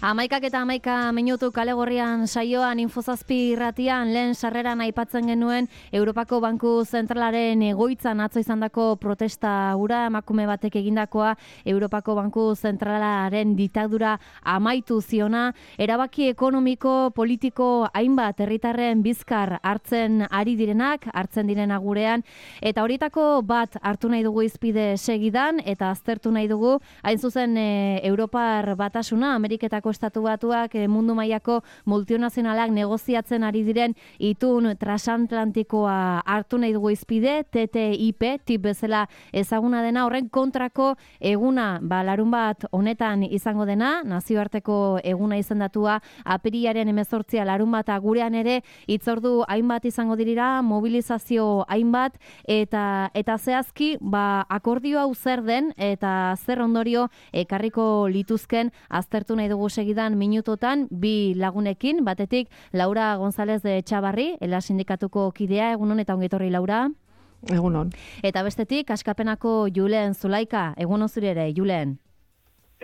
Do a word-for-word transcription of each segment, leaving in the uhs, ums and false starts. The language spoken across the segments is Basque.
Amaikak eta amaika minutu kale gorrian saioan Infozazpi irratian lehen sarreran aipatzen genuen Europako Banku Zentralaren egoitzan atzo izandako protesta hura emakume batek egindakoa Europako Banku Zentralaren diktadura amaitu ziona, erabaki ekonomiko, politiko hainbat herritarren bizkar hartzen ari direnak, hartzen direna gurean, eta horietako bat hartu nahi dugu izpide segidan eta aztertu nahi dugu, hain zuzen e, Europar Batasuna, Ameriketako Estatu Batuak e, mundu mailako multinazionalak negoziatzen ari diren itun transatlantikoa hartu nahi dugu izpide, T T I P, tip bezala ezaguna dena, horren kontrako eguna, ba, larun bat honetan izango dena, nazioarteko eguna izendatua, apirilaren hemezortzia larun bata gurean ere, hitzordu hainbat izango dirira, mobilizazio hainbat, eta eta zehazki, ba, akordio hau zer den, eta zer ondorio ekarriko lituzken aztertu nahi dugu segidan minutotan, bi lagunekin, batetik Laura González de Txabarri, Ela Sindikatuko kidea, egunon eta ongetorri Laura. Egunon. Eta bestetik, Askapenako Julen Zulaika, egunon zure ere, Julen.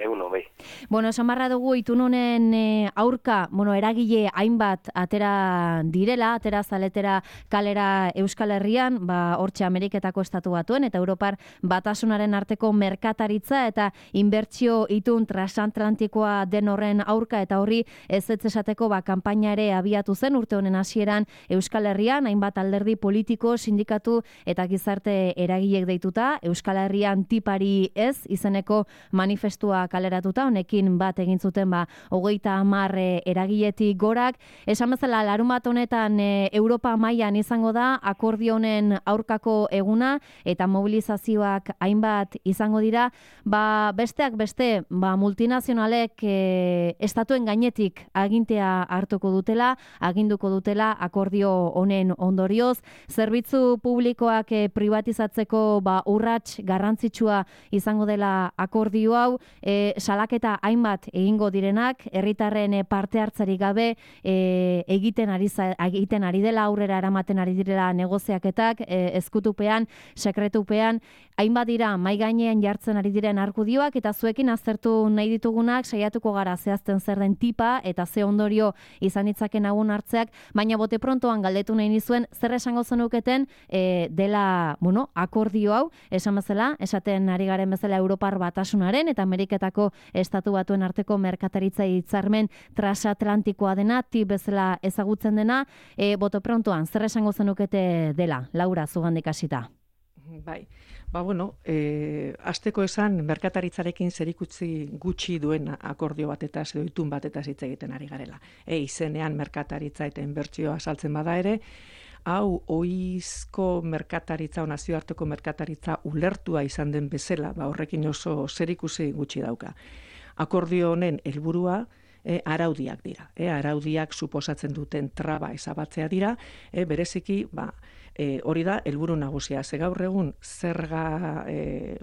Egunon, bai. Bueno, esan barra dugu itun honen e, aurka, bueno, eragile hainbat atera direla, atera zaletera kalera Euskal Herrian, ba, hortxe Ameriketako Estatu Batuen eta Europar Batasunaren arteko merkataritza eta inbertsio itun transatlantikoa den horren aurka eta horri ez ez esateko ba, kanpaina ere abiatu zen urte honen hasieran Euskal Herrian, hainbat alderdi politiko, sindikatu eta gizarte eragilek deituta, Euskal Herrian tipari ez izeneko manifestua kaleratuta, honekin bat egin zuten ba, hogeita hamar e, eragiletik gorak. Esan bezala, larun bat honetan e, Europa mailan izango da, akordio honen aurkako eguna, eta mobilizazioak hainbat izango dira, ba, besteak beste, ba, multinazionalek e, estatuen gainetik agintea hartuko dutela, aginduko dutela akordio honen ondorioz, zerbitzu publikoak e, privatizatzeko ba, urrats garrantzitsua izango dela akordio hau, E, salaketa hainbat egingo direnak, herritarren parte hartzari gabe e, egiten ari egiten ari dela, aurrera eramaten ari direla negoziaketak, e, ezkutupean, sekretupean, hainbat dira mai gainean jartzen ari diren argudioak eta zuekin aztertu nahi ditugunak saiatuko gara zehazten zer den tipa eta ze ondorio izan ditzaken agun hartzeak, baina bote prontoan galdetu nahi nizuen zer esango zenuketen e, dela, bueno, akordio hau, esan bezala, esaten ari garen bezala Europar Batasunaren eta Ameriketako Estatu Batuen arteko merkataritza hitzarmen transatlantikoa dena, tip bezala ezagutzen dena, e, boto prontoan, zer esango zenukete dela, Laura, zugandik hasita? Bai, ba bueno, e, asteko esan merkataritzarekin zerikutzi gutxi duen akordio batetaz edo itun batetaz hitz egiten ari garela. E, izenean merkataritza eta inbertsioa saltzen bada ere, hau ohizko merkataritza, nazioarteko merkataritza ulertua izan den bezala, ba horrekin oso zerikusi gutxi dauka. Akordio honen helburua e, araudiak dira. E, araudiak suposatzen duten traba ezabatzea dira, e, bereziki, ba, E, hori da, helburu nagusia. Ze gaur egun zerga, e,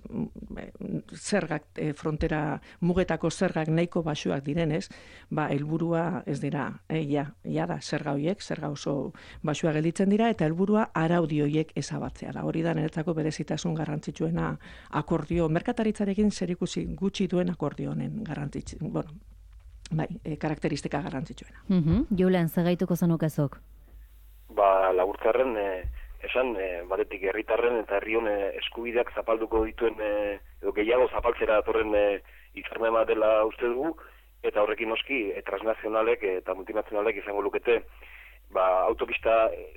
zergak, e, frontera mugetako zergak nahiko baxuak direnez, ba, helburua ez dira, e, ja, ja da, zerga horiek, zerga oso baxuak gelditzen dira, eta helburua araudi horiek ezabatzea da. Hori da, niretzako berezitasun garrantzitsuena akordio, merkataritzarekin zerikusi gutxi duen akordio honen garrantzitsu, bueno, bai, e, karakteristika garrantzitsuena. Mm-hmm. Julen, zegaituko zenukezok? Ba, laburtzarren, e, esan, e, batetik herritarren eta herri hone eskubideak zapalduko dituen, e, edo gehiago zapaltzera datorren e, hitzarmen bat dela uste dugu, eta horrekin noski, e, transnazionalek eta multinazionalek izango lukete, ba, autopista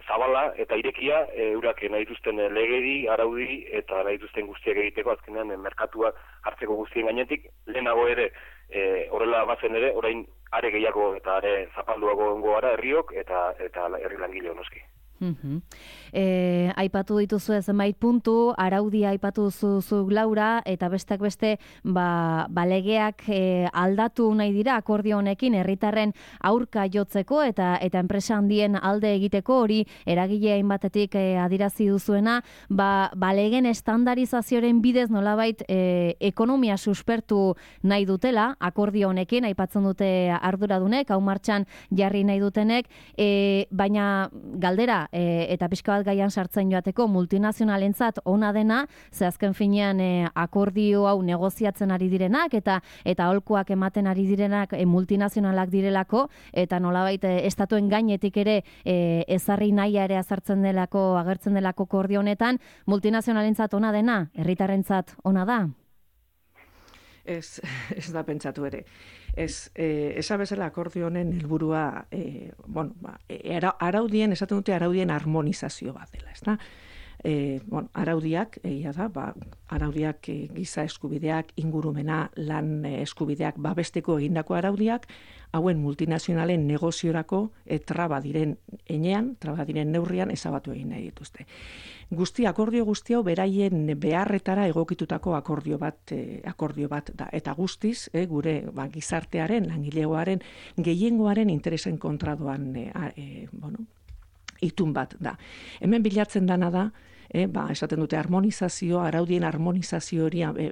zabala eta irekia, e, eurak nahi dituzten legedi, araudi eta nahi dituzten guztiak egiteko, azkenean e, merkatua hartzeko guztien gainetik, lehenago ere, e, horrela bazen ere, orain are gehiago eta are zapalduago ongo gara herriok eta eta herri langile noski. Mm-hmm. E, aipatu dituzu zenbait puntu, araudia aipatu duzu Laura, eta besteak beste ba, ba legeak e, aldatu nahi dira akordio honekin herritarren aurka jotzeko eta eta enpresa handien alde egiteko, hori eragile hainbatetik e, adirazi duzuena, ba, ba legen estandarizazioaren bidez nolabait e, ekonomia suspertu nahi dutela akordio honekin, aipatzen dute arduradunek, hau martxan jarri nahi dutenek, e, baina galdera, e, eta pixka bat gaian sartzen joateko multinazionalentzat ona dena, ze azken finean e, akordio hau negoziatzen ari direnak eta eta aholkuak ematen ari direnak e, multinazionalak direlako, eta nolabait e, estatuen gainetik ere e, ezarri nahia ere azartzen delako, agertzen delako akordio honetan, multinazionalentzat ona dena, herritarrentzat ona da? Ez, ez da pentsatu ere. Ez, eh, esa bezala akordio honen helburua, eh, bueno, ba, ara, araudien, esaten dute araudien harmonizazio bat dela, ezta? E, bueno, araudiak, egia da, ba, araudiak e, giza eskubideak, ingurumena, lan eskubideak babesteko egindako araudiak, hauen multinazionalen negoziorako e, traba diren enean, traba diren neurrian ezabatu egin nahi dituzte. Guzti, akordio guzti hau beraien beharretara egokitutako akordio bat, e, akordio bat da. Eta guztiz, e, gure ba, gizartearen, langilegoaren, gehiengoaren interesen kontradoan e, e, bueno, itun bat da. Hemen bilatzen dana da, E, ba, esaten dute harmonizazio, araudien harmonizazio hori e,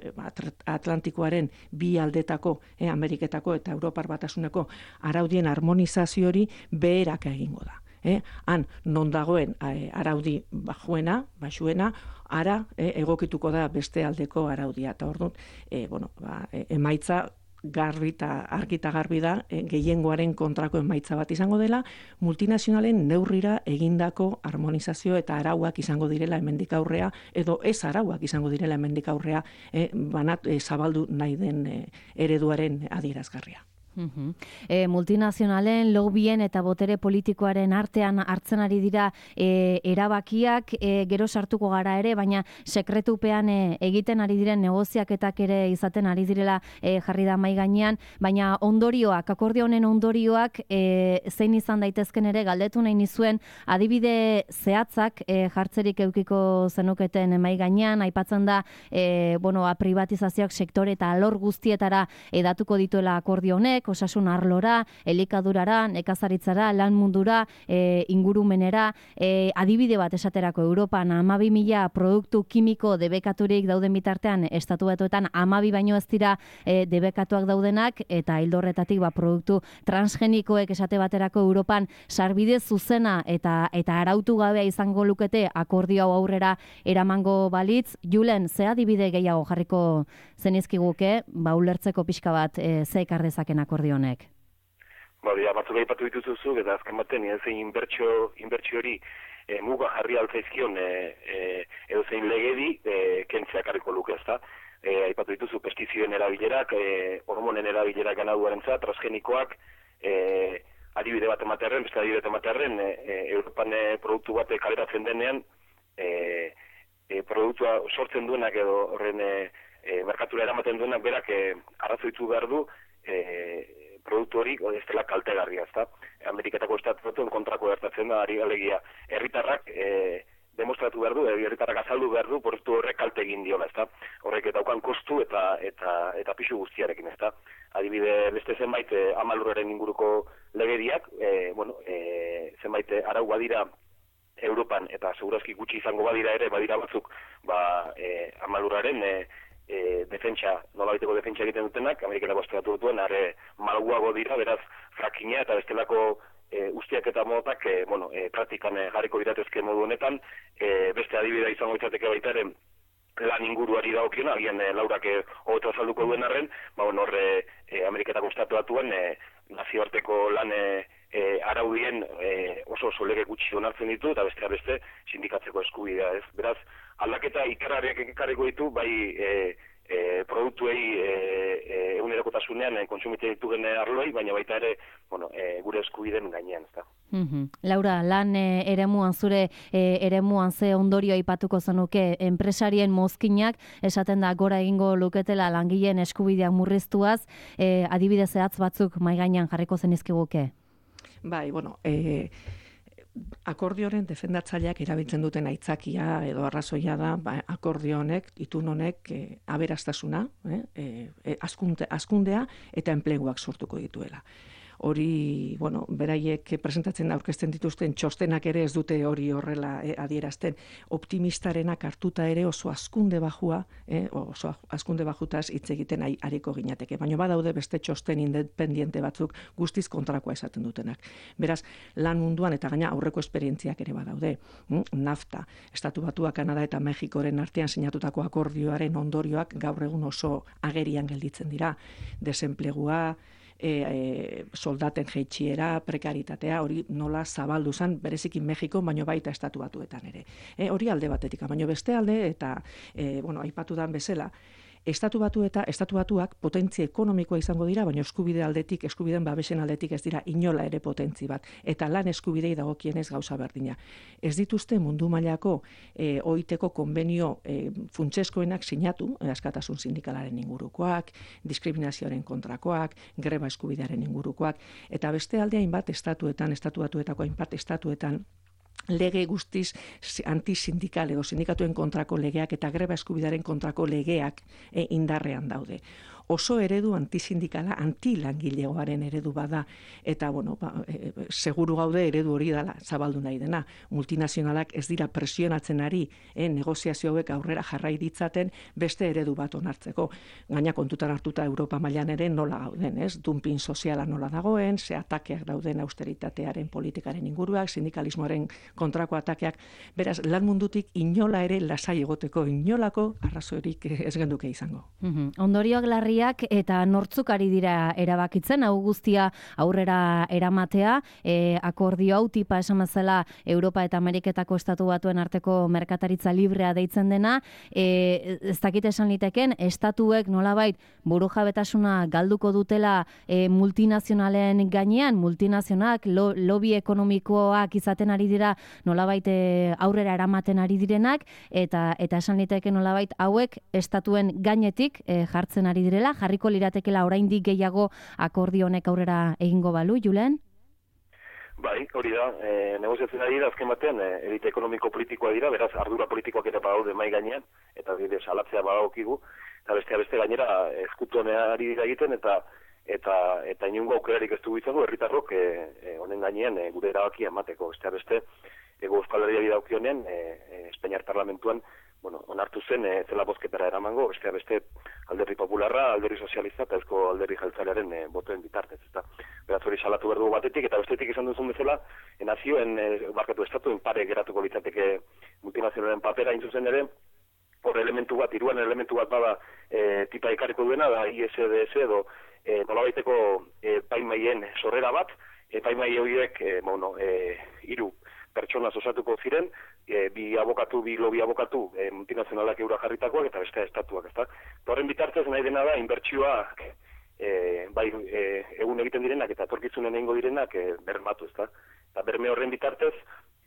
Atlantikoaren bi aldetako, e, Ameriketako eta Europar Batasuneko araudien harmonizazio hori beheraka egingo da. E, han, non dagoen e, araudi bajuena, baxuena, ara e, egokituko da beste aldeko araudia. Eta hor dut, e, bueno, ba, e, emaitza garbi eta argi eta garbi da, e, gehiengoaren kontrako emaitza bat izango dela, multinazionalen neurrira egindako harmonizazio eta arauak izango direla hemendik aurrea, edo ez arauak izango direla hemendik aurrea, e, banat, e, zabaldu nahi den e, ereduaren adierazgarria. Uh-huh. E, multinazionalen, lobbyen eta botere politikoaren artean hartzen ari dira e, erabakiak, e, gero sartuko gara ere, baina sekretupean e, egiten ari diren negoziaketak ere izaten ari direla e, jarri da mai gainean, baina ondorioak, akordio honen ondorioak e, zein izan daitezken ere galdetu nahi nizuen, adibide zehatzak e, jartzerik eukiko zenuketen mai gainean, aipatzen da e, bueno, a privatizazioak sektore eta alor guztietara edatuko dituela akordio honek, osasun arlora, elikadurara, nekazaritzara, lan mundura, e, ingurumenera, e, adibide bat esaterako Europan hamabi mila produktu kimiko debekaturik dauden bitartean, estatu batuetan hamabi baino ez dira e, debekatuak daudenak, eta hildorretatik ba, produktu transgenikoek esate baterako Europan sarbide zuzena eta eta arautu gabea izango lukete akordio hau aurrera eramango balitz. Julen, ze adibide gehiago jarriko zenizkiguke, ba ulertzeko pixka bat e, ze ekar dezaken akordio honek? Ba, ja, batzuk aipatu dituzu, eta azken baten, zein inbertsio, inbertsio hori e, muga jarri altzaizkion e, e, edo zein legedi e, kentzea karriko luke, ezta? E, aipatu dituzu pestizioen erabilerak, e, hormonen erabilerak ganaduarentzat, transgenikoak, e, adibide bat ematearen, beste adibide bat ematearen, e, e, Europan e, produktu bat kaleratzen denean, e, e, produktua sortzen duenak edo horren e, e, merkatura eramaten duenak berak e, arrazoitu behar du e, produktu hori ez dela kaltegarria, ezta? Ameriketako estatutuen kontrako gertatzen da, ari alegia herritarrak e, demostratu behar du, herritarrak azaldu behar du, produktu horrek kalte egin diola, ezta? Horrek daukan kostu eta eta eta pisu guztiarekin, ezta? Adibide beste zenbait e, amaluraren inguruko legediak, e, bueno, e, zenbait arau badira Europan eta segurazki gutxi izango badira ere, badira batzuk, ba, e, amaluraren e, e, defentsa, nolabaiteko defentsa egiten dutenak, Ameriketako estatu dutuen, are malguago dira, beraz, frakinga eta bestelako e, ustiak eta modotak, e, bueno, e, praktikan e, jarriko diratezke modu honetan, e, beste adibidea izango izateke baita ere, lan inguruari dagokiona, agian e, laurak e, hobeto azalduko duen arren, ba, bueno, horre e, Ameriketako estatu datuen e, nazioarteko lan e, e, araudien e, oso oso lege gutxi onartzen ditu, eta beste beste sindikatzeko eskubidea, ez? Beraz, aldaketa ikarariak ekarriko ditu, bai e, e, produktuei e, e, egunerokotasunean e, kontsumite ditugen arloi, baina baita ere, bueno, e, gure eskubideen gainean, ezta. Mm-hmm. Laura, lan e, eremuan zure e, eremuan ze ondorio aipatuko zenuke enpresarien mozkinak, esaten da gora egingo luketela langileen eskubideak murriztuaz, e, adibide zehatz batzuk mai gainean jarriko zenizkiguke? Bai, bueno, eh, akordioren defendatzaileak erabiltzen duten aitzakia edo arrazoia da, ba, akordio honek, itun honek e, aberastasuna, eh, e, askunde, askundea eta enpleguak sortuko dituela. hori, bueno, beraiek presentatzen aurkezten dituzten txostenak ere ez dute hori horrela eh, adierazten. Optimistarenak hartuta ere oso azkunde bajua, eh, oso azkunde bajutaz hitz egiten ari, ariko ginateke. Baina badaude beste txosten independiente batzuk guztiz kontrakoa esaten dutenak. Beraz, lan munduan eta gaina aurreko esperientziak ere badaude. Hm? NAFTA, Estatu Batua, Kanada eta Mexikoren artean sinatutako akordioaren ondorioak gaur egun oso agerian gelditzen dira. Desenplegua, E, e, soldaten jeitsiera, prekaritatea, hori nola zabaldu zen, bereziki Mexiko, baino baita Estatu Batuetan ere. E, hori alde batetik, baino beste alde, eta e, bueno, aipatu dan bezala, Estatu Batu eta Estatu Batuak potentzia ekonomikoa izango dira, baina eskubide aldetik, eskubideen babesen aldetik ez dira inola ere potentzi bat. Eta lan eskubidei dagokienez gauza berdina. Ez dituzte mundu mailako e, oiteko konbenio e, funtseskoenak sinatu, e, askatasun sindikalaren ingurukoak, diskriminazioaren kontrakoak, greba eskubidearen ingurukoak, eta beste alde hainbat estatuetan, Estatu Batuetako hainbat estatuetan, lege guztiz antisindikal edo sindikatuen kontrako legeak eta greba eskubidaren kontrako legeak e, indarrean daude. Oso eredu antisindikala, antilangilegoaren eredu bada, eta bueno, ba, e, seguru gaude eredu hori dela zabaldu nahi dena. Multinazionalak ez dira presionatzen ari, e, negoziazio hauek aurrera jarrai ditzaten beste eredu bat onartzeko. Gaina kontutan hartuta Europa mailan ere nola gauden, ez? Dumping soziala nola dagoen, ze atakeak dauden austeritatearen politikaren inguruak, sindikalismoaren kontrako atakeak, beraz, lan mundutik inola ere lasai egoteko inolako arrazoirik ez genduke izango. Mm-hmm. Ondorioak larri eta nortzuk ari dira erabakitzen, hau guztia aurrera eramatea, e, akordio hau tipa esan bezala Europa eta Ameriketako Estatu Batuen arteko merkataritza librea deitzen dena, e, ez dakit esan liteken, estatuek nolabait burujabetasuna galduko dutela e, multinazionalen gainean, multinazionalak lo, lobby ekonomikoak izaten ari dira nolabait e, aurrera eramaten ari direnak, eta eta esan liteke nolabait hauek estatuen gainetik e, jartzen ari direla, jarriko liratekela oraindik gehiago akordio honek aurrera egingo balu, Julen? Bai, hori da, e, negoziatzen ari da, azken batean, e, elite ekonomiko politikoa dira, beraz, ardura politikoak ere badaude mai gainean, eta bide salatzea badagokigu, eta bestea beste gainera ezkutuaneari dira egiten, eta eta eta inungo aukerarik ez dugu izango, herritarrok e, e, honen gainean e, gure erabakia emateko, bestea beste, ego Euskal Herriari daukionean, e, e, Espainiar Parlamentuan, bueno, onartu zen e, zela bozketara eramango, bestea beste alderri popularra, alderri sozialista eta ezko alderri jeltzalearen e, botoen bitartez. Eta beraz hori salatu behar dugu batetik, eta bestetik esan duzun bezala, e, nazioen, e, barkatu estatuen pare geratuko litzateke multinazionalen papera hain zuzen ere, hor elementu bat, hiruan elementu bat bada e, tipa ekarriko duena, da I S D S edo e, nolabaiteko e, paimaien sorrera bat, e, paimai horiek, e, bueno, e, hiru pertsona osatuko ziren, e, bi abokatu, bi lobi abokatu e, multinazionalak eura jarritakoak eta beste estatuak, ezta? Horren bitartez nahi dena da inbertsioak e, bai e, egun egiten direnak eta etorkizunen egingo direnak e, bermatu, ezta? Eta berme horren bitartez,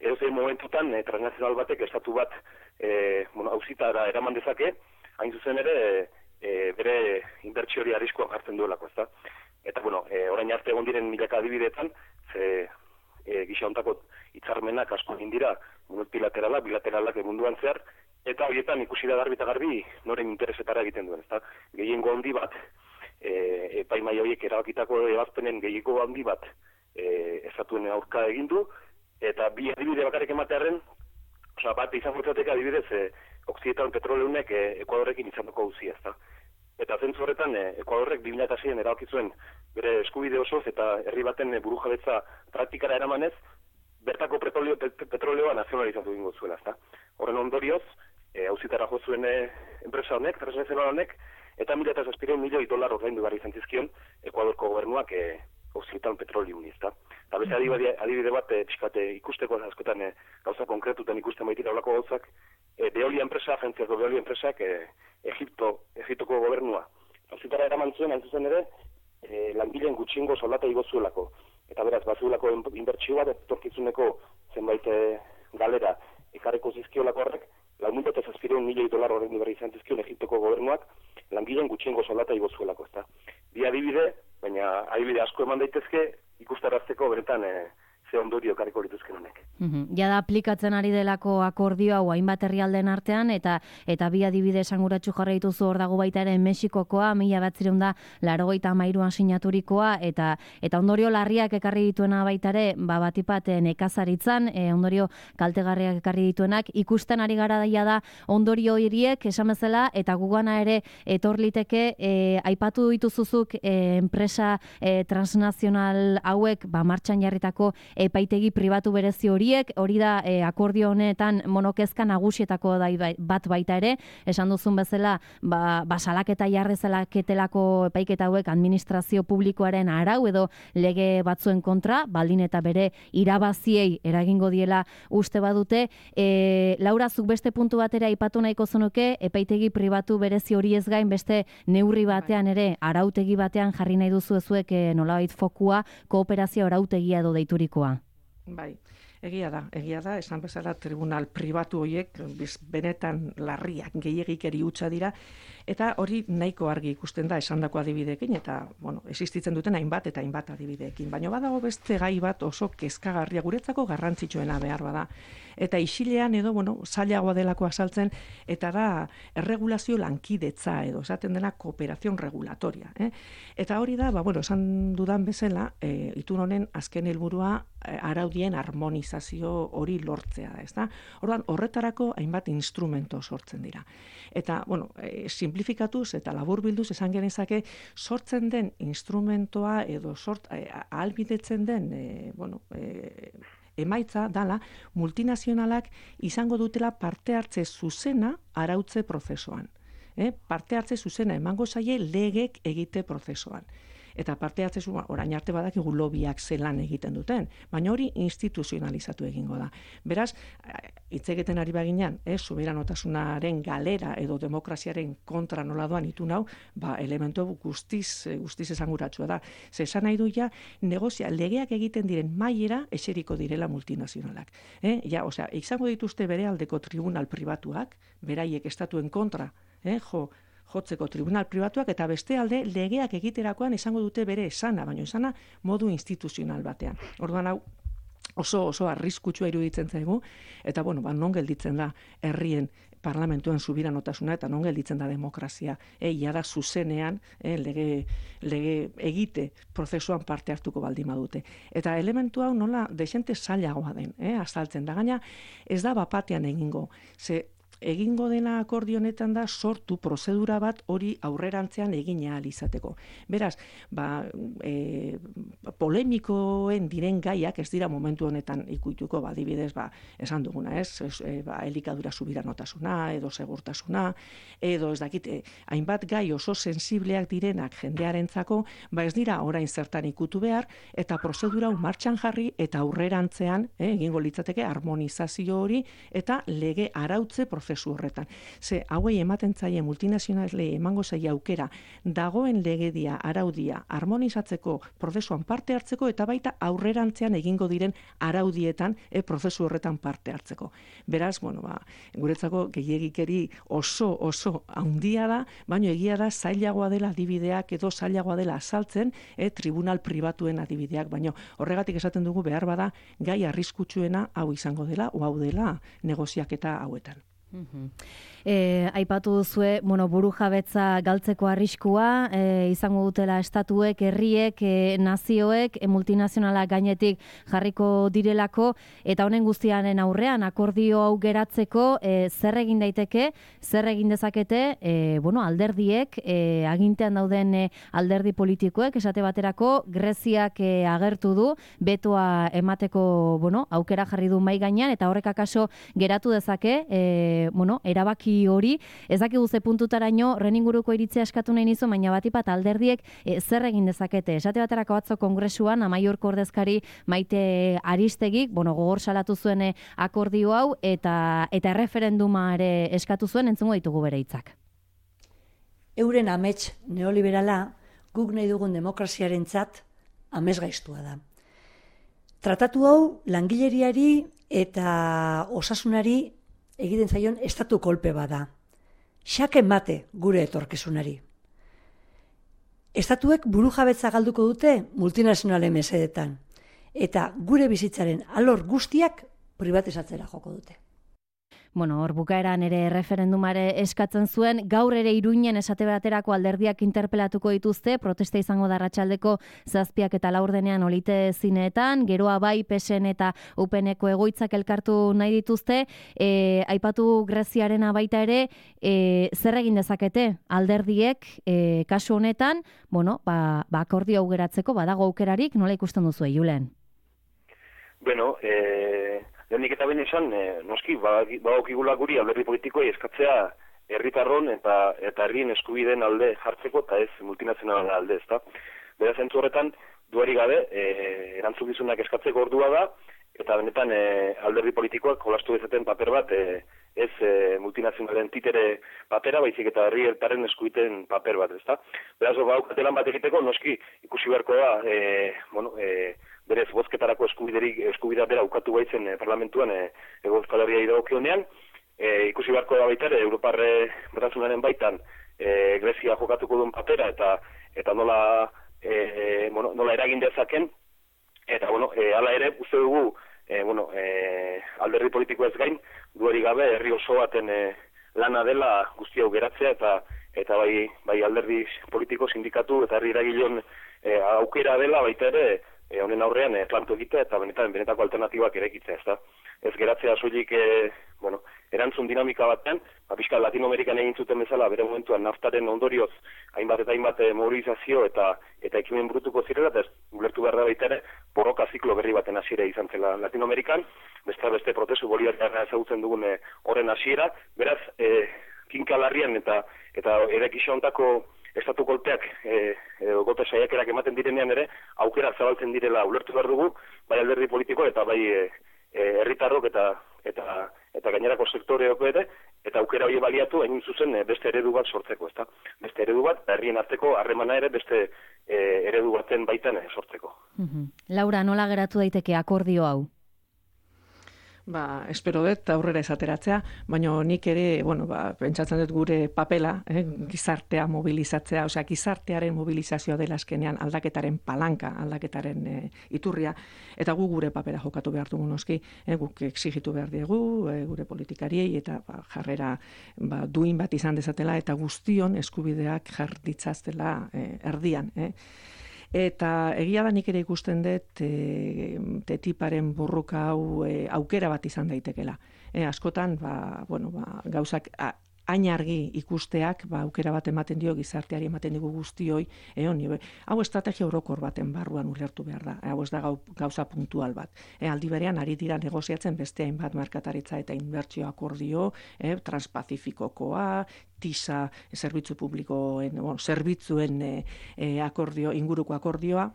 edozein momentutan e, transnazional batek estatu bat e, bueno, auzitara eraman dezake, hain zuzen ere e, bere inbertsio hori arriskuan jartzen duelako, ezta? Eta bueno, e, orain arte egon diren milaka adibideetan, ze E, gisa hontako hitzarmenak asko egin dira multilateralak, bilateralak munduan zehar, eta horietan ikusi da garbi eta garbi noren interesetara egiten duen, ezta? Gehiengo handi bat, e, epaimai horiek erabakitako ebazpenen gehiengo handi bat e, estatuen aurka egin du, eta bi adibide bakarrik ematearen, osea, bat izan fortzateke adibidez, e, Okzidetan petroleunek e, Ekuadorrekin izan duko guzia, ezta? Eta zentzu horretan, e, Ekuadorrek bi mila seian erabaki zuen bere eskubide osoz eta herri baten burujabetza praktikara eramanez, bertako petroleo, petroleoa nazionalizatu egingo zuela, ezta? Horren ondorioz, e, auzitara jo zuen e, enpresa honek, transnazional honek, eta mila eta zazpireun milioi dolar ordaindu behar izan zizkion Ekuadorko gobernuak e, Okzidetan petroleuni, ezta? Eta beste adibide, adibide bat, e, pixkate ikusteko askotan e, gauza konkretutan ikusten baitira olako gauzak, e, Veolia enpresa, agentziako Veolia enpresak, e, Egipto, Egiptoko gobernua. Auzitara eraman zuen, hain zuzen ere, e, langileen gutxiengo soldata igo zuelako. Eta beraz, bazuelako inbertsio bat, etorkizuneko zenbait e, galera ekarreko zizkiolako horrek, lau mila eta zazpireun milioi dolar horrein berri izan zizkion Egiptoko gobernuak, langileen gutxiengo soldata igo zuelako, ezta. Bi adibide, baina adibide asko eman daitezke, ikustarazteko beretan e, ze ondorio kariko lituzken honek. Ja da aplikatzen ari delako akordio hau hainbat herrialdeen artean, eta eta bi adibide esanguratsu jarri dituzu hor dago baita ere Mexikokoa, mila bederatziehun eta laurogeita hamairuan sinaturikoa, eta eta ondorio larriak ekarri dituena baita ere, ba batipat nekazaritzan, e, ondorio kaltegarriak ekarri dituenak, ikusten ari gara daia da ondorio horiek esan bezala, eta gugana ere etor liteke, e, aipatu dituzuzuk e, enpresa e, transnazional hauek ba martxan jarritako epaitegi pribatu berezi horiek, hori da e, akordio honetan monokezka nagusietako da bat baita ere, esan duzun bezala, ba, ba salaketa jarri zelaketelako epaiketa hauek administrazio publikoaren arau edo lege batzuen kontra, baldin eta bere irabaziei eragingo diela uste badute. E, Laura, zuk beste puntu batera aipatu nahiko zenuke, epaitegi pribatu berezi hori ez gain beste neurri batean ere, arautegi batean jarri nahi duzu ezuek e, nolabait fokua, kooperazio arautegia edo deiturikoa. Bai, egia da, egia da, esan bezala tribunal pribatu horiek benetan larriak, gehiegikeri hutsa dira, eta hori nahiko argi ikusten da esandako adibideekin, eta, bueno, existitzen duten hainbat eta hainbat adibideekin. Baina badago beste gai bat oso kezkagarria, guretzako garrantzitsuena behar bada. Eta isilean edo, bueno, zailagoa delako azaltzen, eta da erregulazio lankidetza edo, esaten dena kooperazion regulatoria. Eh? Eta hori da, ba, bueno, esan dudan bezala, e, itun honen azken helburua e, araudien harmonizazio hori lortzea da, ezta? Orduan, horretarako hainbat instrumento sortzen dira. Eta, bueno, e, simplifikatuz eta laburbilduz esan genezake sortzen den instrumentoa edo sort, e, ahalbidetzen den, e, bueno, e, emaitza dala multinazionalak izango dutela parte hartze zuzena arautze prozesuan. Eh? Parte hartze zuzena emango zaie legek egite prozesuan. Eta parte hartze zuzena, orain arte badakigu lobiak zelan egiten duten, baina hori instituzionalizatu egingo da. Beraz, hitz egiten ari baginan, eh, soberanotasunaren galera edo demokraziaren kontra nola doan itun hau, ba, elementu guztiz, guztiz esanguratsua da. Ze esan nahi du ja, negozia, legeak egiten diren mailera eseriko direla multinazionalak. Eh? Ja, osea, izango dituzte bere aldeko tribunal pribatuak, beraiek estatuen kontra, eh, jo, jotzeko tribunal pribatuak, eta beste alde legeak egiterakoan izango dute bere esana, baina esana modu instituzional batean. Orduan hau oso oso arriskutsua iruditzen zaigu, eta bueno, ba, non gelditzen da herrien parlamentuen subiranotasuna eta non gelditzen da demokrazia. E, ja da zuzenean e, lege, lege egite prozesuan parte hartuko baldin badute. Eta elementu hau nola desente zailagoa den, eh, azaltzen da. Gaina ez da bapatean egingo, ze egingo dena akordio honetan da sortu prozedura bat hori aurrerantzean egin ahal izateko. Beraz, ba, e, polemikoen diren gaiak ez dira momentu honetan ikuituko, ba, adibidez, ba, esan duguna, ez, ez e, ba, elikadura subiranotasuna, edo segurtasuna, edo ez dakit, e, hainbat gai oso sensibleak direnak jendearentzako, ba, ez dira orain zertan ikutu behar, eta prozedura hau martxan jarri, eta aurrerantzean, e, egingo litzateke harmonizazio hori, eta lege arautze prozesu horretan. Ze, hauei ematen zaie multinazionalei emango zaie aukera dagoen legedia, araudia, harmonizatzeko prozesuan parte hartzeko eta baita aurrerantzean egingo diren araudietan e, prozesu horretan parte hartzeko. Beraz, bueno, ba, guretzako gehiegikeri oso oso handia da, baina egia da zailagoa dela adibideak edo zailagoa dela azaltzen e, tribunal pribatuen adibideak, baina horregatik esaten dugu behar bada gai arriskutsuena hau izango dela, o hau dela negoziaketa hauetan. Mm-hmm. E, aipatu duzue, bueno, burujabetza galtzeko arriskua, e, izango dutela estatuek, herriek, e, nazioek, e, multinazionalak gainetik jarriko direlako, eta honen guztiaren aurrean akordio hau geratzeko, e, zer egin daiteke, zer egin dezakete, e, bueno, alderdiek, e, agintean dauden e, alderdi politikoek, esate baterako, Greziak e, agertu du, betoa emateko, bueno, aukera jarri du mai gainean, eta horrek akaso geratu dezake, e, bueno, erabaki hori, ez dakigu ze puntutaraino horren inguruko iritzia eskatu nahi nizu, baina batipat alderdiek e, zer egin dezakete. Esate baterako atzo kongresuan, Amaiurko ordezkari Maite Aristegik, bueno, gogor salatu zuen e, akordio hau, eta eta erreferenduma ere eskatu zuen, entzungo ditugu bere hitzak. Euren amets neoliberala guk nahi dugun demokraziarentzat amesgaiztua da. Tratatu hau langileriari eta osasunari egiten zaion estatu kolpe bada. Xake mate gure etorkizunari. Estatuek burujabetza galduko dute multinazionalen mesedetan. eta gure bizitzaren alor guztiak privatizatzera joko dute. Bueno, hor bukaeran ere referendumare eskatzen zuen, gaur ere Iruinen esate baterako alderdiak interpelatuko dituzte, protesta izango da arratsaldeko zazpiak eta laurdenean olite zineetan, geroa bai P S N eta U P N-eko egoitzak elkartu nahi dituzte, e, aipatu Greziarena baita ere, e, zer egin dezakete alderdiek e, kasu honetan, bueno, ba, ba akordio hau geratzeko badago aukerarik, nola ikusten duzu Julen? Bueno, eh... Lehenik eta behin esan, e, noski, badokigula guri alderdi politikoei eskatzea herritarron eta eta herrien eskubideen alde jartzeko eta ez multinazionalen alde, ezta. Beraz, zentzu horretan, duari gabe, e, erantzukizunak eskatzeko ordua da, eta benetan e, alderdi politikoak jolastu dezaten paper bat, e, ez e, multinazionalen titere papera, baizik eta herrietaren eskubideen paper bat, ezta. Beraz, baukatelan bat egiteko, noski, ikusi beharko da, e, bueno, e, berez bozketarako eskubiderik eskubidea bera ukatu baitzen e, parlamentuan e, Hego Euskal Herria dagokionean, e, ikusi beharko da baita ere Europarre batasunaren baitan e, Grezia jokatuko duen papera eta eta nola e, bueno, nola eragin dezaken, eta bueno, e, hala ere uste dugu e, bueno, e, alderdi politiko ez gain dueri gabe herri oso baten e, lana dela guzti hau geratzea eta eta bai bai alderdi politiko, sindikatu eta herri eragileon e, aukera dela baita ere E, honen aurrean e, planto egitea eta benetan benetako alternatibak erekitzea, ezta. Ez geratzea soilik e, bueno, erantzun dinamika batean, ba pixka Latinoamerikan egin zuten bezala bere momentuan naftaren ondorioz hainbat eta hainbat e, mobilizazio eta eta ekimen burutuko zirela, eta ez ulertu behar da baita ere borroka ziklo berri baten hasiera izan zela Latinoamerikan, beste beste prozesu bolivariarra ezagutzen dugun e, horren hasiera, beraz e, kinka larrian eta eta erekixo hontako estatu kolpeak e, e, gote saiakerak ematen direnean ere, aukera zabaltzen direla ulertu behar dugu, bai alderdi politiko eta bai herritarrok e, eta eta eta gainerako sektoreok ere, eta aukera hori baliatu hain zuzen e, beste eredu bat sortzeko, ezta? Beste eredu bat, herrien arteko harremana ere beste e, eredu baten baitan e, sortzeko. Mm-hmm. Laura, nola geratu daiteke akordio hau? Ba, espero dut aurrera esateratzea, baina nik ere, bueno, ba, pentsatzen dut gure papela, eh, gizartea mobilizatzea, osea, gizartearen mobilizazioa dela azkenean aldaketaren palanka, aldaketaren eh, iturria, eta gu gure papera jokatu behar dugu noski, eh, guk exigitu behar diegu, eh, gure politikariei, eta ba, jarrera ba, duin bat izan dezatela, eta guztion eskubideak jarditzaztela eh, erdian, eh. Eta egia da nik ere ikusten dut e, tetiparen borroka hau e, aukera bat izan daitekela. E, askotan, ba, bueno, ba, gauzak a, hain argi ikusteak, ba, aukera bat ematen dio gizarteari ematen digu guztioi, e, honi, hau estrategia orokor baten barruan ulertu behar da, hau ez da gau, gauza puntual bat. E, aldi berean ari dira negoziatzen beste hainbat merkataritza eta inbertsio akordio, e, transpazifikokoa, TISA, zerbitzu publikoen, bueno, zerbitzuen e, e, akordio, inguruko akordioa,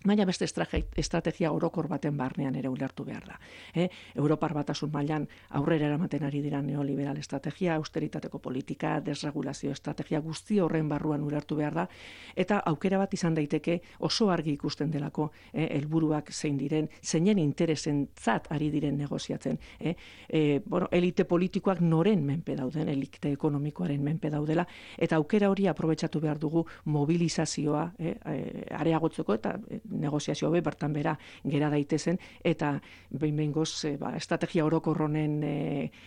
baina beste estrategia orokor baten barnean ere ulertu behar da. E, Europar batasun mailan aurrera eramaten ari dira neoliberal estrategia, austeritateko politika, desregulazio estrategia guzti horren barruan ulertu behar da, eta aukera bat izan daiteke oso argi ikusten delako e, helburuak zein diren, zeinen interesentzat ari diren negoziatzen. E, e, bueno, elite politikoak noren menpe dauden, elite ekonomikoaren menpe daudela, eta aukera hori aprobetxatu behar dugu mobilizazioa e, e, areagotzeko eta e, negoziazio be bertan bera gera daitezen, eta behin-behingoz e, ba, estrategia orokorronen e,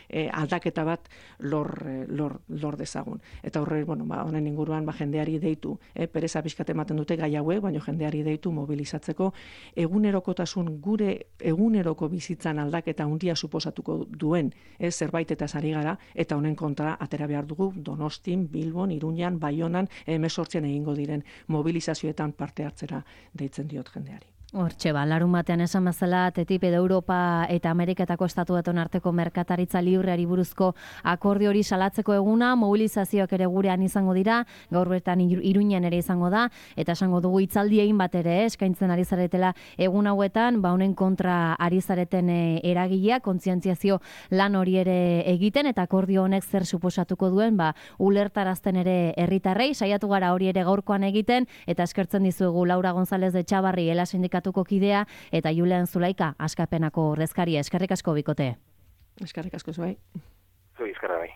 e, aldaketa bat lor, lor, lor dezagun. Eta horre, bueno, ba, honen inguruan ba, jendeari deitu, e, pereza pixkat ematen dute gai hauek, baina jendeari deitu mobilizatzeko egunerokotasun gure eguneroko bizitzan aldaketa handia suposatuko duen e, zerbait eta sari gara, eta honen kontra atera behar dugu Donostin, Bilbon, Iruñan, Baionan, hemezortzian egingo diren mobilizazioetan parte hartzera deitzen diot jendeari. Hortxe ba, larun batean esan bezala, TTIP edo Europa eta Ameriketako estatu batuen arteko merkataritza libreari buruzko akordio hori salatzeko eguna, mobilizazioak ere gurean izango dira, gaur bertan Iruñan ere izango da, eta esango dugu hitzaldi egin bat ere, eskaintzen ari zaretela egun hauetan, ba honen kontra ari zareten eragilea, kontzientziazio lan hori ere egiten, eta akordio honek zer suposatuko duen, ba ulertarazten ere herritarrei, saiatu gara hori ere gaurkoan egiten, eta eskertzen dizuegu Laura González de Txabarri, Ela Sindikatu kidea, eta Julen Zulaika, Askapenako ordezkaria. Eskerrik asko bikote. Eskerrik asko zuai. Zui, eskerra bai.